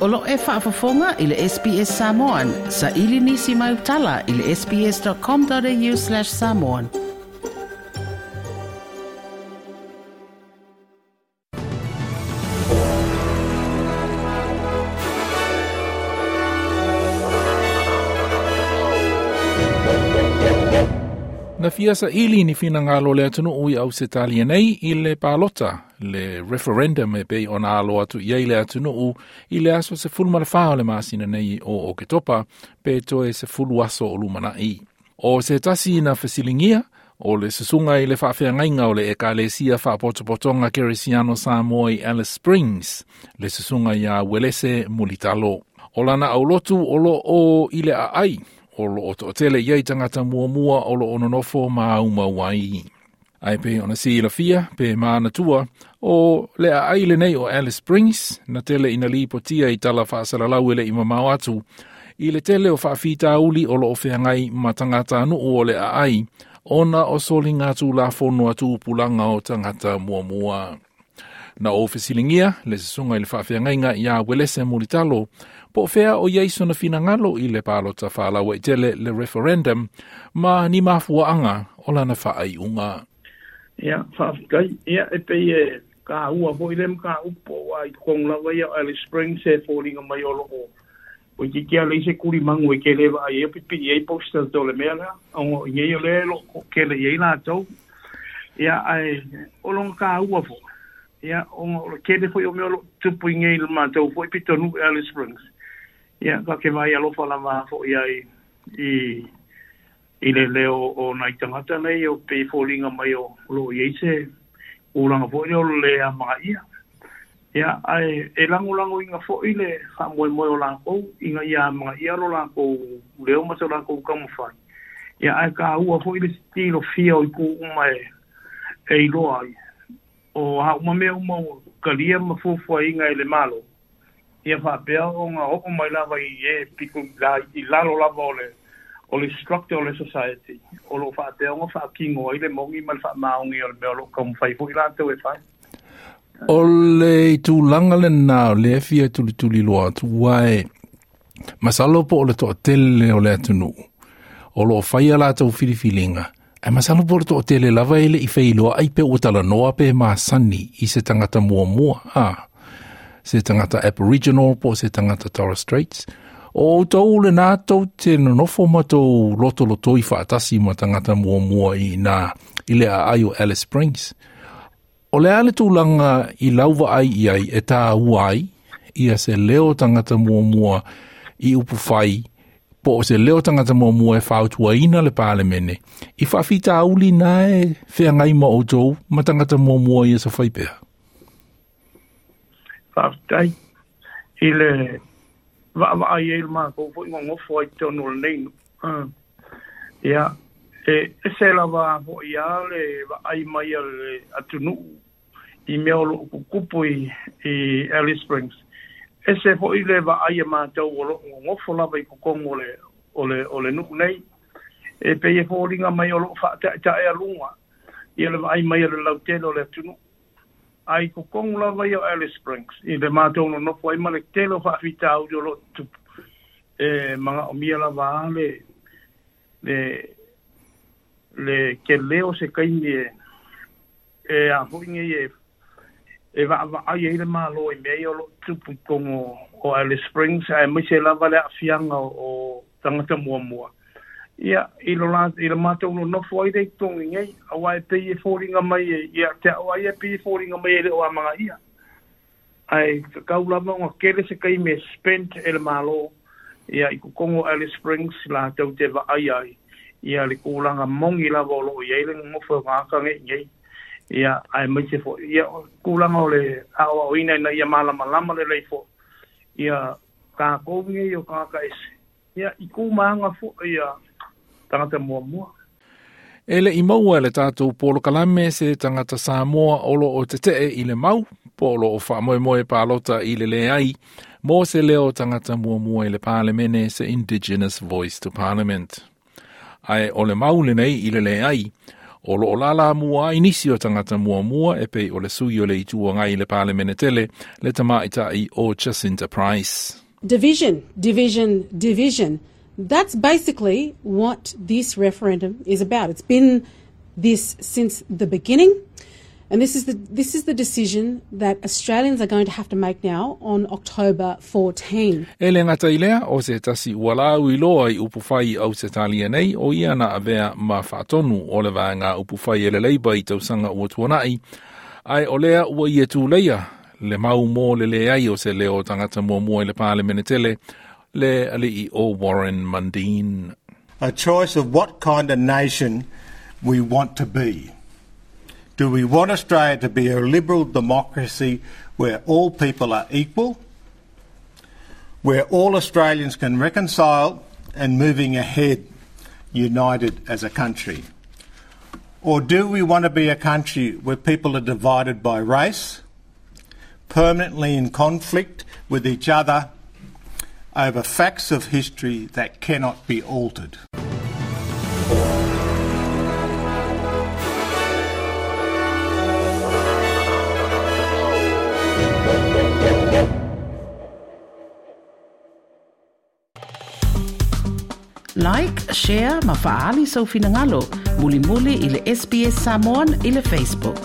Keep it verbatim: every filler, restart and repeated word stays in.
O lo e faafofoga i le S B S Samoan, sa ili nisi mai utala i le S B S dot com dot A U slash samoan. Na fia saili ni finagalo o le atunuu i Ausetalia nei i le palota, le referendum e pei ona alo atu i ai le atunuu i le aso sefulu ma le fa o le masina nei o Oketopa, pe toe sefulu aso o lumanai. O se tasi na fesiligia, o le susuga i le faafeagaiga o le Ekalesia Faapotopotoga Kerisiano Samoa i Alice Springs, le susuga ia Uelese Mulitalo. O lana aulotu o lo o i le aai, o lo o toatele i ai tagata muamua o lo o nonofo ma aumau ai. Ae pei ona silafia pe manatua o le aai lenei o Alice Springs na tele ina lipotia i tala faasalalau e le i mamao atu i le tele o faafitauli o lo o feagai ma tagatanuu o le aai ona o soliga tulafono a tupulaga o tagata muamua. Na ou fesiligia le susuga i le faafeagaiga ia Uelese Mulitalo po o fea o iai sona finagalo i le palota faalauaitele, le referendum, ma ni mafuaaga o lana faaiuga. Ia, faafetai. Ia, e pei e kāua foi le mataupu aua i totonu lava ia o Alice Springs e foliga mai o loo o itiiti a leai se tulimagu e tele vaai ai o pipii ai posters o le mea lea ona o i inei o lea e loo toatele i ai latou. Ia, ae o lona kāua foi, ia, ona o le tele foi o mea o loo tupu i nei i le matou foi pitonuu i Alice Springs. Ia, ta te vaai alofa lava foi ai i i le leo o nai tagata nei o pei e foliga mai o loo i ai se tulaga foi lea o le le amagaia. Ia, ae e lagolagoina foi le faamoemoe o lakou ina ia amagaia lo lakou leo ma so lakou taumafai. Ia, ae kāua foi le tilofia o itu uma e e iloa ai o a uma mea uma ua talia ma fuafuaina e le Malo, ia faapea ona oo mai lava i e pito i lalo lava o le o le structure o le society o loo faapea ona faatino ai le moni ma le faamaoni o le mea o loo taumafai foi latou e fai. O le tulaga lena o lea fia tulituliloa atu aua masalo po o le toatele o le atunuu o lo o faia latou filifiliga, ae masalo po o le toatele lava e le i feiloai pe ua talanoa pe masani i se tagata muamua, a se tagata Aboriginal po o se tagata Torres Straits. O outou lena tou te nonofo ma tou lotolotoi faatasi ma tagata muamua i ina i le aai o Alice Springs. O le a le tulaga i lau vaai i ai e tāua ai ia se leo tagata muamua i upu fai po o se leo tagata muamua e fautuaina le Palemene i faafitauli na e feagai ma outou ma tagata muamua ia sa fai pea? Faafetai. I le vaavaai ai le matou foi gogofo ai totonu o lenei nuu. Ia, e ese lava foi a le vaai mai a le atunuu i mea o loo tutupu i, i Alice Springs. Ese foi le vaai a matou o loo gogofo lava i totonu o le, o le, o le nuu nei. E pei e foliga mai o loo faataetaealuga ia le vaai mai a le lautele o le atunuu. Ae i totonu lava ia o Alice Springs, i le matou nonofo ai ma le tele o faafitauli o loo tutupu, e manaomia lava a le, le, le tele o se taimi e, e a foi nei e, e vaavaai ai le Malo i mea ia o loo tutupu i totonu o Alice Springs, aemaise lava le aafiaga o, o tagata muamua. Ia, i lo la, i le matou nonofo ai lea i totonu i nei, aua e pei e foliga mai e, ia te au lava ia e pei e foliga mai e le o amagaia. Ae tatau lava ona tele se taimi e spend e le Malo, ia, i totonu o Alice Springs latou te vaai ai, ia le tulaga moni lava o loo i ai le nonofo o tagata nei nei. Ia, aemaise foi, ia, o tulaga o le aoaoina ina ia malamalama lelei foi, ia, tatou nei o tagata ese, ia, i tu ma aga foi ia tagata muamua. E le i maua e le tatou polokalame se tagata Samoa o lo o tetee i le mau po o lo o faamoemoe palota i le leai mo se leo tagata muamua i le Palemene, se Indigenous Voice to Parliament. Ae o le mau lenei i le leai, O loo lala mua ai nisi o tagata muamua e pei o le sui o le Itu Agai i le Palemene tele le tamaitai o Jacinta Price. Division, division, division. That's basically what this referendum is about. It's been this since the beginning. And this is the this is the decision that Australians are going to have to make now on October fourteenth. E le gata i lea, o se tasi ua lau i loa i upufai Ausetalia nei, o ia na avea ma faatonu o le vaega upufai e le Labour i tausaga ua tuanai, ai o lea ua ia tūleia le mau mo le leai o se leo tagata muamua i le Palemene tele, le alii o Warren Mundine. A choice of what kind of nation we want to be. Do we want Australia to be a liberal democracy where all people are equal, where all Australians can reconcile and moving ahead united as a country? Or do we want to be a country where people are divided by race, permanently in conflict with each other over facts of history that cannot be altered? Like, share, ma faali sau finangalo, muli muli i le S B S Samoan i le Facebook.